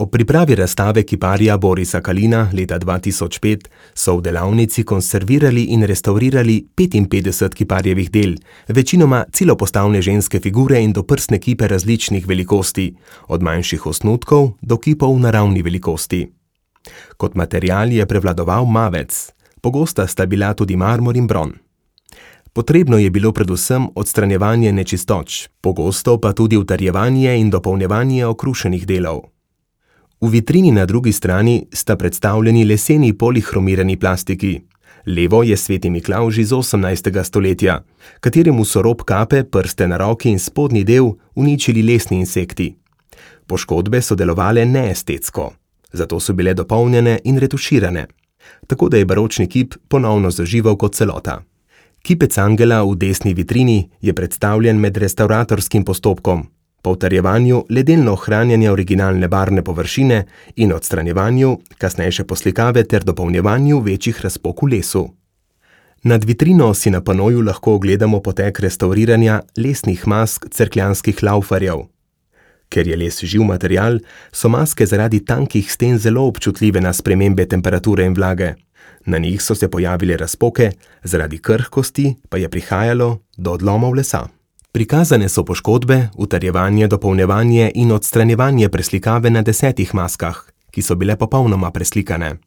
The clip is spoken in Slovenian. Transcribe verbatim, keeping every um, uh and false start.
Ob pripravi razstave kiparja Borisa Kalina leta dva tisoč pet so v delavnici konservirali in restavrirali petinpetdeset kiparjevih del, večinoma celopostavne ženske figure in doprsne kipe različnih velikosti, od manjših osnutkov do kipov naravni velikosti. Kot material je prevladoval mavec, pogosta sta bila tudi marmor in bron. Potrebno je bilo predvsem odstranjevanje nečistoč, pogosto pa tudi utrjevanje in dopolnjevanje okrušenih delov. V vitrini na drugi strani sta predstavljeni leseni polihromirani plastiki. Levo je Sveti Miklavž iz osemnajstega stoletja, kateremu so rob kape, prste na roki in spodnji del uničili lesni insekti. Poškodbe so delovale neestetsko, zato so bile dopolnjene in retuširane, tako da je baročni kip ponovno zaživel kot celota. Kipec angela v desni vitrini je predstavljen med restauratorskim postopkom, po utrjevanju le delno ohranjanja originalne barvne površine in odstranjevanju kasnejše poslikave ter dopolnjevanju večjih razpok v lesu. Nad vitrino si na panoju lahko ogledamo potek restavriranja lesnih mask cerkljanskih laufarjev. Ker je les živ material, so maske zaradi tankih sten zelo občutljive na spremembe temperature in vlage. Na njih so se pojavile razpoke, zaradi krhkosti pa je prihajalo do odlomov lesa. Prikazane so poškodbe, utrjevanje, dopolnjevanje in odstranjevanje preslikave na desetih maskah, ki so bile popolnoma preslikane.